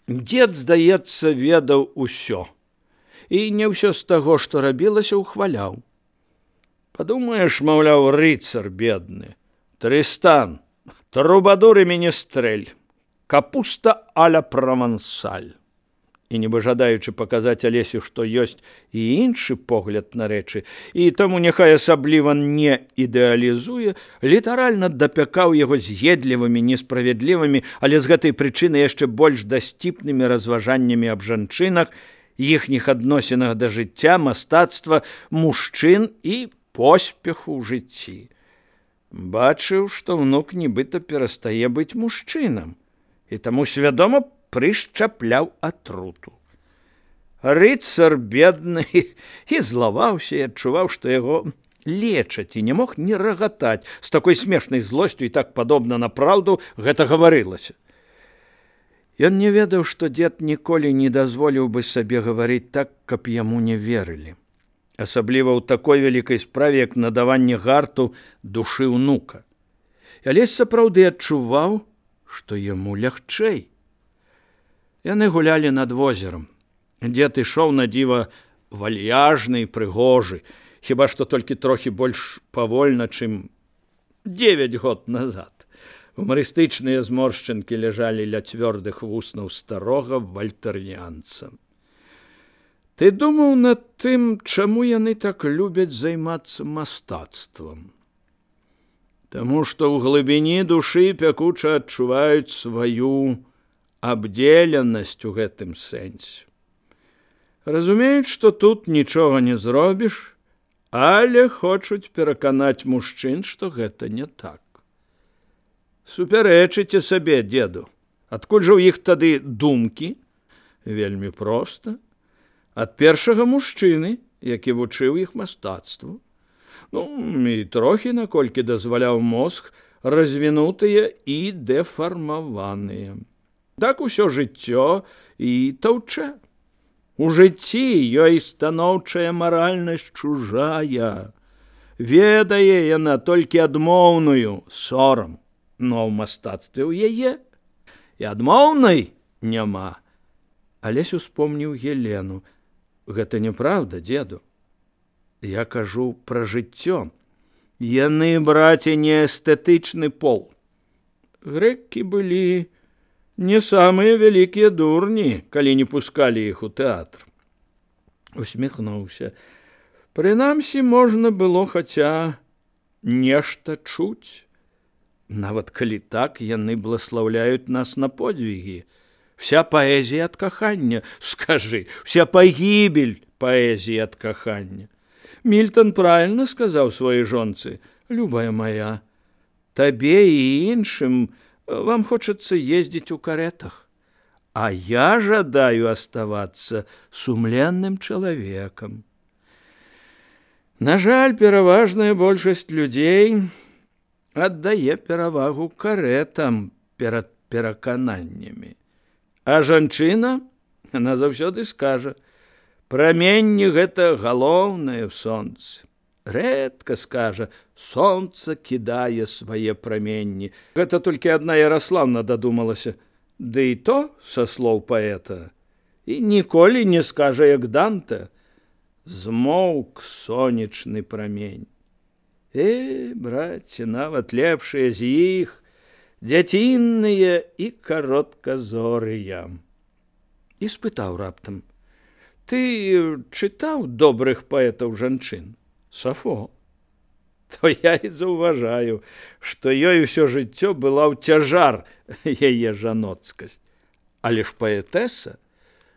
Дзед, здаецца, ведаў усё. І не ўсё з таго, што рабілася, ухваляў. Падумаеш, маўляў, рыцар бедны, Трыстан, трубадур і менестрэль, капуста а-ля правансаль. І нібы жадаючы паказаць Алесю, што ёсць і іншы погляд на рэчы, і таму няхай асабліва не ідэалізуе, літаральна дапякаў яго з'едлівымі, несправядлівымі, але з гэтай прычыны яшчэ больш дасціпнымі разважаннямі аб жанчынах, іхніх адносінах да жыцця, мастацтва, мужчын і поспеху ў жыцці. Бачыў, што ўнук нібыта перастае быць мужчынам, і таму свядома прышчапляў атруту. Рыцар бедны і злаваўся, і адчуваў, што яго лечаць, і не мог не рагатаць. З такой смешнай злосцю і так падобна на праўду гэта гаварылася. Ён не ведаў, што дзед ніколі не дазволіў бы сабе гаварыць так, каб яму не верылі. Асабліва ў такой вялікай справе, як надаванне гарту душы ўнука. Алесь сапраўды адчуваў, што яму лягчэй. Яны гулялі над возерам. Дзед ішоў на дзіва вальяжны і прыгожы, хіба што толькі трохі больш павольна, чым 9 год назад. Гумарыстычныя зморшчынкі ляжалі ля цвёрдых вуснаў старога вальтарніанца. Ты думаў над тым, чаму яны так любяць займацца мастацтвам? Таму што ў глыбіні душы пякуча адчуваюць сваю абдзеленасць у гэтым сэнсе. Разумеюць, што тут нічога не зробіш, але хочуць пераканаць мужчын, што гэта не так. Супярэчыце сабе, дзеду. Адкуль жа ў іх тады думкі? Вельмі проста. Ад першага мужчыны, які вучыў іх мастацтву. І трохі, наколькі дазваляў мозг, развінутыя і дэфармаваныя. Так усё жыццё і таўчэ. У жыцці ёй станоўчая маральнасць чужая. Ведае яна толькі адмоўную, сорам. Но ў мастацтве ў яе і адмоўнай няма. Алесь успомніў Елену. Гэта няправда, дзеду. Я кажу пра жыццё. Яны, браце, не эстэтычны пол. Грэкі былі не самыя вялікія дурні, калі не пускалі іх у тэатр. Усміхнуўся. Прынамсі, можна было хаця нешта чуць. Нават калі так, яны бласлаўляюць нас на подвігі. Вся паэзія ад кахання, скажы, вся пагібель паэзіі ад кахання. Мільтон правильно сказаў сваёй жонцы: «Любая моя, табе і іншым вам хочацца ездзіць у каретах, а я жадаю оставаться сумленным чалавекам». На жаль, пераважная большасць людзей аддае перавагу каретам перад перакананнямі. А жанчына, яна заўсёды скажа: «Праменні гэта галоўнае ў сонцы». Рэдка скажа: «Сонца кідае свае праменні». Гэта толькі адна Яраслаўна дадумалася, ды і то са слоў паэта. І ніколі не скажа, як Данте: «Змоўк сонечны прамень». Браце, нават лепшыя з іх дзяцінныя і каротказорыя. І спытаў раптам: «Ты чытаў добрых паэтаў жанчын? Сафо». То я і заўважаю, што ёй усё жыццё была ў цяжар яе жаноцкасць. Але ж паэтэса,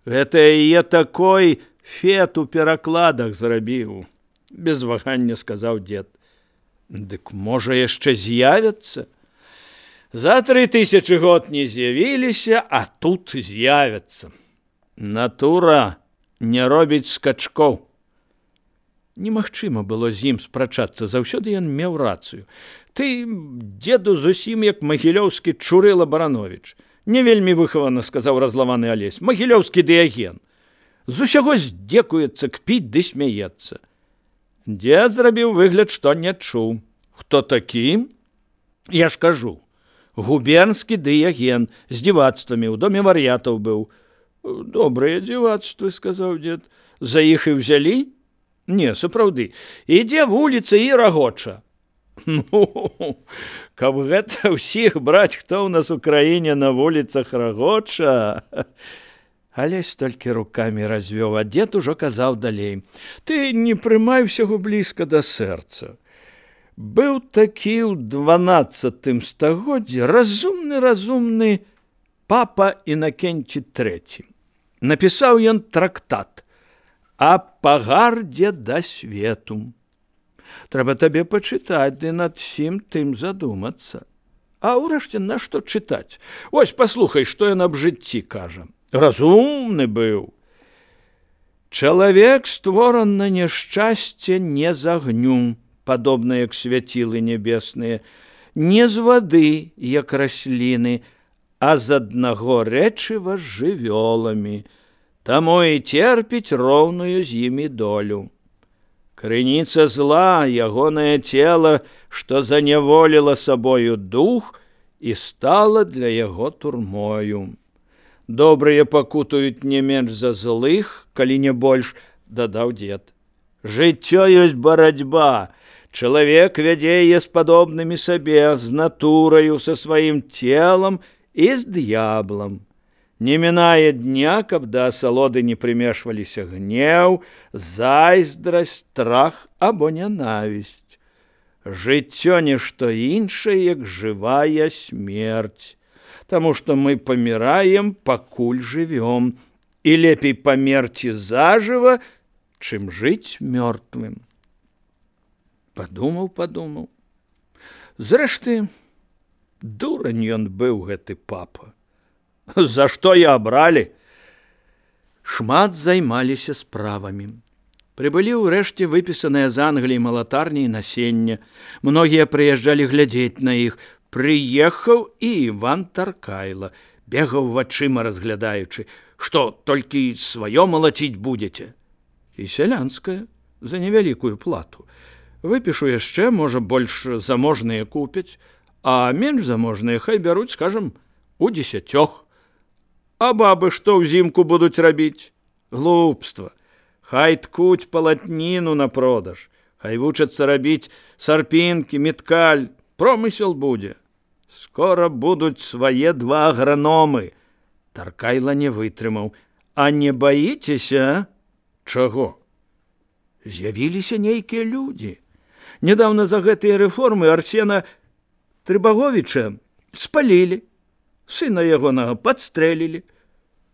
гэта яе такой фет у перакладах зрабіў. Без вагання сказаў дзед. Дык можа яшчэ з'явяцца? За 3000 год не з'явіліся, а тут з'явяцца. Натура не робіць скачкоў. Немагчыма было з ім спрачацца, заўсёды ён меў рацыю. Ты, дзеду, зусім як магілёўскі Чурыла Барановіч. Не вельмі выхавана, сказаў разлаваны Алесь. Магілёўскі Дыяген. З усяго здзекуецца, кпіць ды смяецца. Дзед зрабіў выгляд, што не чуў. Хто такі? Я ж кажу, Губернскі дыяген з дзівацтвамі ў доме вар'ятаў быў. Добрыя дзівацтвы, сказаў дзед. За іх і ўзялі? Не, сапраўды. Ідзе вуліца і рагоча. Ну, каб гэта ўсіх браць, хто ў нас у краіне на вуліцах рагоча. Алесь толькі рукамі развёў, а дзед ужо казаў далей. Ты не прымай усяго блізка да сэрца. Быў такі ў 12 стагоддзі разумны папа Інакенці III. Напісаў ён трактат «А пагардзе да свету». Трэба табе пачытаць ды над сім тым задумацца. А ўрэшце нашто чытаць? Вось паслухай, што ён аб жыцці кажа. Разумны быў. Чалавек створан на няшчасце не з агню, падобна як свяцілы нябесныя, не з вады, як расліны, а з аднаго рэчыва з жывёламі, таму і церпіць роўную з імі долю. Крыніца зла, ягонае цела, што заняволіла сабою дух і стала для яго турмою. Добрыя пакутаюць не менш за злых, калі не больш, дадаў дзед. Жыццё ёсць барацьба. Чалавек вядзе яе з падобнымі сабе, з натураю, са сваім целам і з д'яблам. Не мінае дня, каб да асалоды не прымешваліся гнеў, зайздрасць, страх або нянавісць. Жыццё нішто іншае, як жывая смерць. Таму што мы паміраем, пакуль жывём, і лепей памерці зажыва, чым жыць мёртвым. Падумаў. Зрэшты, дурань ён быў, гэты папа. За што я абралі? Шмат займаліся справамі. Прыбылі ўрэшце выпісаныя з Англіі малатарні і насення. Многія прыязджалі глядзець на іх. Прыехаў і Іван Таркайла, бегаў вачыма разглядаючы. Што, толькі сваё малаціць будзеце? І сялянскае, за невялікую плату. Выпішу яшчэ, можа, больш заможныя купяць, а менш заможныя хай бяруць, скажам, у 10. А бабы што ўзімку будуць рабіць? Глупства. Хай ткуць палатніну на продаж, хай вучацца рабіць сарпінкі, меткаль, промысел будзе. Скора будуць свае 2 аграномы. Таркайла не вытрымаў. А не баіцеся? Чаго? З'явіліся нейкія людзі. Нядаўна за гэтыя рэформы Арсена Трыбаговіча спалілі, сына ягонага падстрэлілі.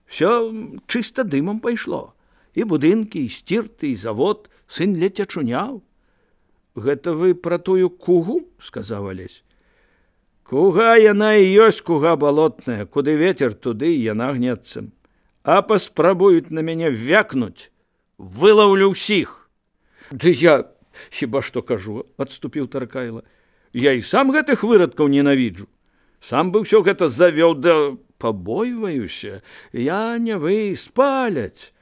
Всё чыста дымам пайшло. І будынкі, і сцірты, і завод, сын ледзь ачуняў. Гэта вы пра тую кугу, сказаў Алесь. Куга яна і ёсць куга балотная, куды ветер, туды і яна гнецца. А паспрабуюць на мяне вякнуць, вылаўлю ўсіх. Ды я хіба што кажу, адступіў Таркайла. Я і сам гэтых вырадкаў ненавіджу. Сам бы ўсё гэта завёў, да пабойваюся. Я не вы, спаляць.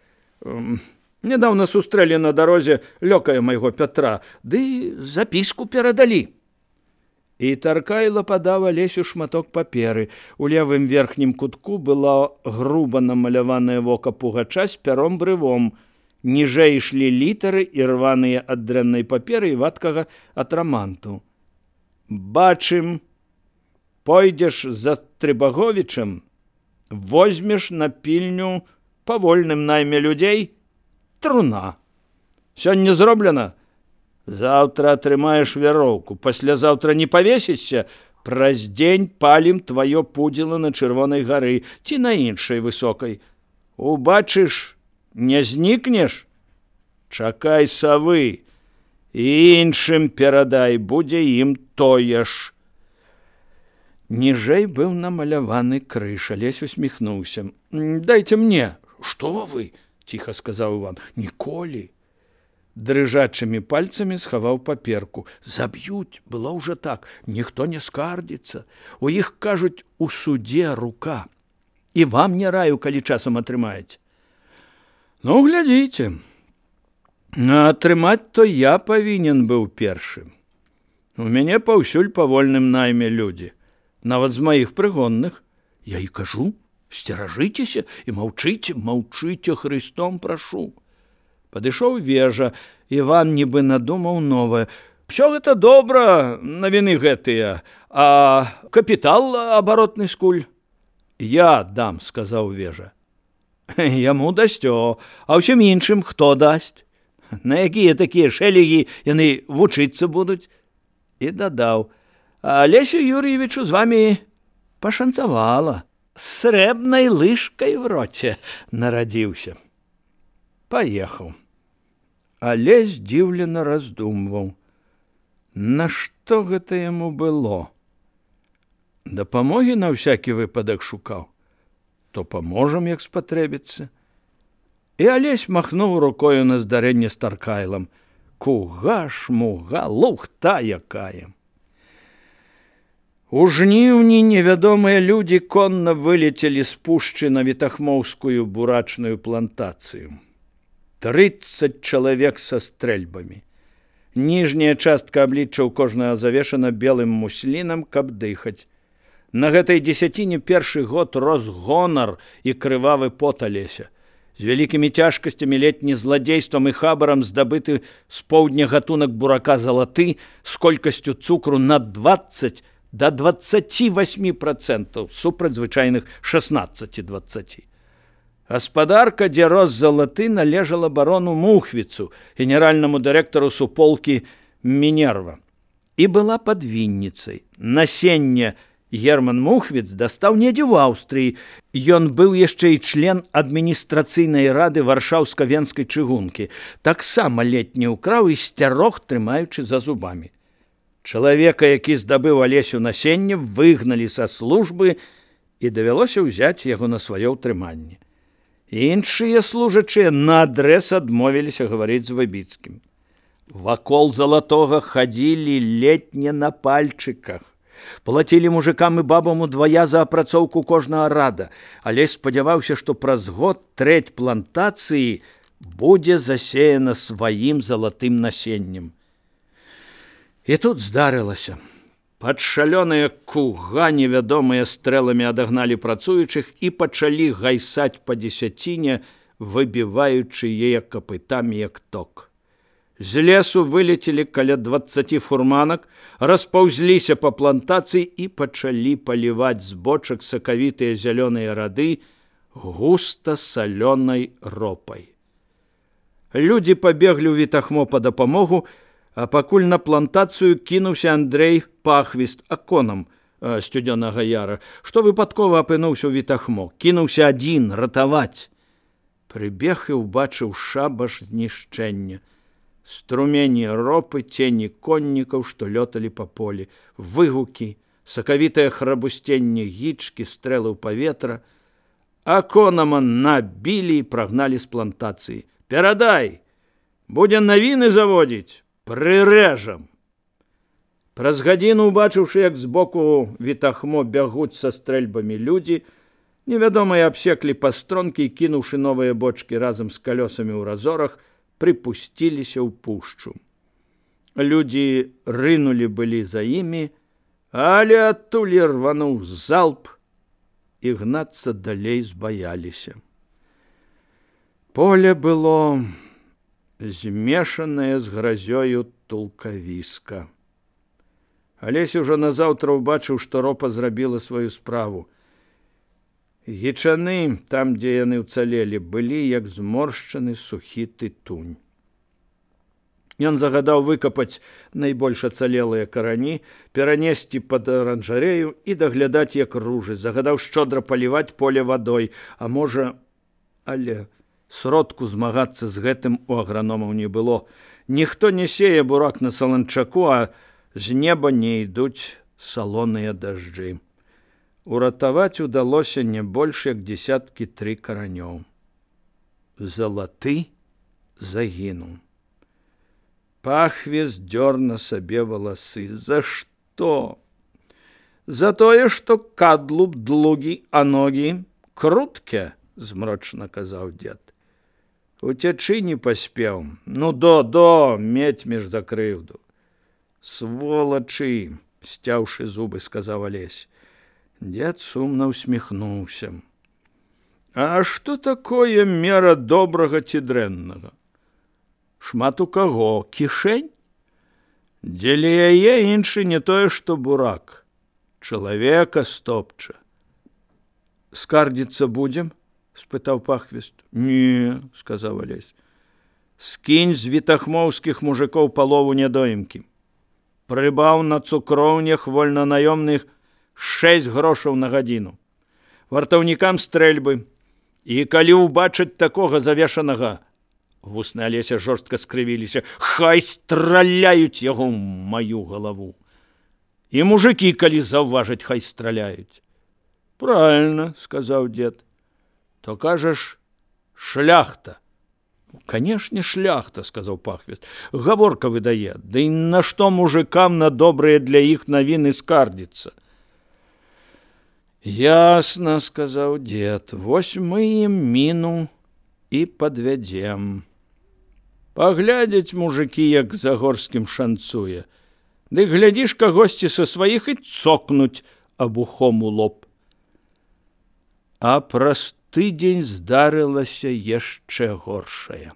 Нядаўна сустрэлі на дарозе лёкая майго Пятра, ды запіску перадалі. І Таркайла падаў Алесю шматок паперы. У левым верхнім кутку было груба намаляванае вока пугача з пяром-брывом. Ніжэй ішлі літары і рваныя ад дрэннай паперы і вадкага атраманту. Бачым, пойдзеш за Трыбаговічам, возьмеш на пільню па вольным найме людзей труна. Сёння зроблена? Заўтра атрымаеш вяроўку, паслязаўтра не павесішся, праз дзень палім тваё пудзіла на Чырвонай гары ці на іншай высокай. Убачыш, не знікнеш? Чакай савы, і іншым перадай, будзе ім тое ж. Ніжэй быў намаляваны крыж, Алесь усміхнуўся. Дайце мне. Што вы? Ціха сказаў Іван. Ніколі. Дрыжачымі пальцамі схаваў паперку. Заб'юць, было ўжо так, ніхто не скардзіцца. У іх, кажуць, у судзе рука. І вам не раю, калі часам атрымаеце. Ну, глядзіце. Атрымаць то я павінен быў першым. У мяне паўсюль па вольным найме людзі. нават з маіх прыгонных. Я і кажу, сцеражыцеся і маўчыце, маўчыце, Христом прашу. Падышоў Вежа, Іван нібы надумаў новае. Всё гэта добра, навіны гэтыя, а капітал абаротны скуль? Я дам, сказаў Вежа. Яму дасцё, а ўсім іншым хто дасць? На якія такія шэлегі яны вучыцца будуць? І дадаў, Алесю Юр'евічу з вамі пашанцавала, з срэбнай лыжкай в роце нарадзіўся. Паехаў. Але здзіўлена раздумваў. Нашто гэта яму было? Дапамогі на ўсякі выпадак шукаў. То паможам, як спатрэбіцца. І Алесь махнуў рукою на здарэнне з Таркайлам. Куга, шмуга, лухта якая! У жніўні невядомыя людзі конна вылецелі з пушчы на Вітахмоўскую бурачную плантацыю. 30 чалавек са стрэльбамі. Ніжняя частка аблічча ў кожнага завешана белым муслінам, каб дыхаць. На гэтай дзесяціне першы год рос гонар і крывавы пот Алеся. З вялікімі цяжкасцямі летні зладзействам і хабарам здабыты з поўдня гатунак бурака залаты з колькасцю цукру на 20 до 28% супраць звычайных 16-20. Гаспадарка, дзе рос залаты, належала барону Мухвіцу, генеральнаму дырэктару суполкі Мінерва, і была падвінніцай. Насенне Герман Мухвіц дастаў недзе ў Аўстрыі. Ён быў яшчэ і член адміністрацыйнай рады варшаўска-венскай чыгункі. Таксама летні ўкраў і сцярог, трымаючы за зубамі. Чалавека, які здабыў Алесю насенне, выгналі са службы і давялося ўзяць яго на сваё ўтрыманне. Іншыя служачыя наадрэз адмовіліся гаварыць з Выбіцкім. Вакол залатога хадзілі летне на пальчыках. Плацілі мужикам і бабам удвая за апрацоўку кожнага рада, але спадзяваўся, што праз год трэць плантацыі будзе засеяна сваім залатым насеннем. І тут здарылася. Пад шалёная куга невядомыя стрэламі адагналі працуючых і пачалі гайсаць па дзесяціне, выбіваючы яе капытамі як ток. З лесу вылецелі каля 20 фурманак, распаўзліся па плантацыі і пачалі паліваць з бочак сакавітыя зялёныя рады густа салёнай ропай. Людзі пабеглі ў Вітахмо па дапамогу, а пакуль на плантацыю кінуўся Андрэй Пахвіст аконам Сцюдзёнага Яра, што выпадкова апынуўся ў Вітахмо. Кінуўся адзін ратаваць. Прыбег і ўбачыў шабаш знішчэння. Струмені ропы, цені коннікаў, што лёталі па полі, выгукі, сакавітае храбусценне гічкі, стрэлы ў паветра. Аконама набілі і прагналі з плантацыі. «Перадай! Будзе навіны заводзіць! Прырэжам!» Праз гадзіну, убачыўшы, як збоку Вітахмо бягуць са стрэльбамі людзі, невядомыя абсеклі пастронкі і, кінуўшы новыя бочкі разам з калёсамі ў разорах, прыпусціліся ў пушчу. Людзі рынулі былі за імі, але адтуль рвануў залп, і гнацца далей збаяліся. Поле было змешанае з гразёю тулкавіска. Алесь ужо назаўтра ўбачыў, што ропа зрабіла сваю справу. Гічаны, там, дзе яны ўцалелі, былі як зморшчаны сухі тытунь. Ён загадаў выкапаць найбольш ацалелыя карані, перанесці пад аранжарэю і даглядаць, як ружы. Загадаў шчодра паліваць поле вадой, а можа, але сродку змагацца з гэтым у аграномаў не было. Ніхто не сее бурак на саланчаку, а з неба не ідуць салоныя дажджы. Уратаваць удалося не больш, як 3 каранёў. Залаты загінуў. Пахвіст дзёр на сабе валасы. За што? За тое, што кадлуб длугі, а ногі крутке, змрочна казаў дзед. Уцячы не паспеў. Ну, до, медзьмеш за крыўду. Сволачы, сцяўшы зубы, сказаў Алесь. Дед сумна усміхнуўся. А што такое мера добрага ці дрэннага? Шмат у каго кішэнь? Дзеля яе іншы не тое, што бурак. Чалавека стопча. Скардзіцца будзем? Спытаў пахвіст. Не, сказаў Алесь. Скінь з вітахмоўскіх мужикоў палову нядоімкі. Прыбаў на цукроўнях вольнанаёмных 6 грошаў на гадзіну. Вартаўнікам стрэльбы. І калі ўбачаць такога завешанага, вусны Алеся жорстка скрывіліся, хай страляюць яго ў маю галаву. І мужыкі, калі заўважаць, хай страляюць. Правильно, сказаў дед. То кажаш, шляхта. Канешне, шляхта, сказаў пахвіст. Гаворка выдае, ды і нашто мужикам на добрыя для іх навіны скардзіцца? Ясна, сказаў дед, вось мы ім міну і падвядзем. Паглядзяць мужыкі, як Загорскім шанцуе. Ды глядзіш, кагосьці са сваіх і цокнуць абухом у лоб. А праз тыдзень здарылася яшчэ горшае.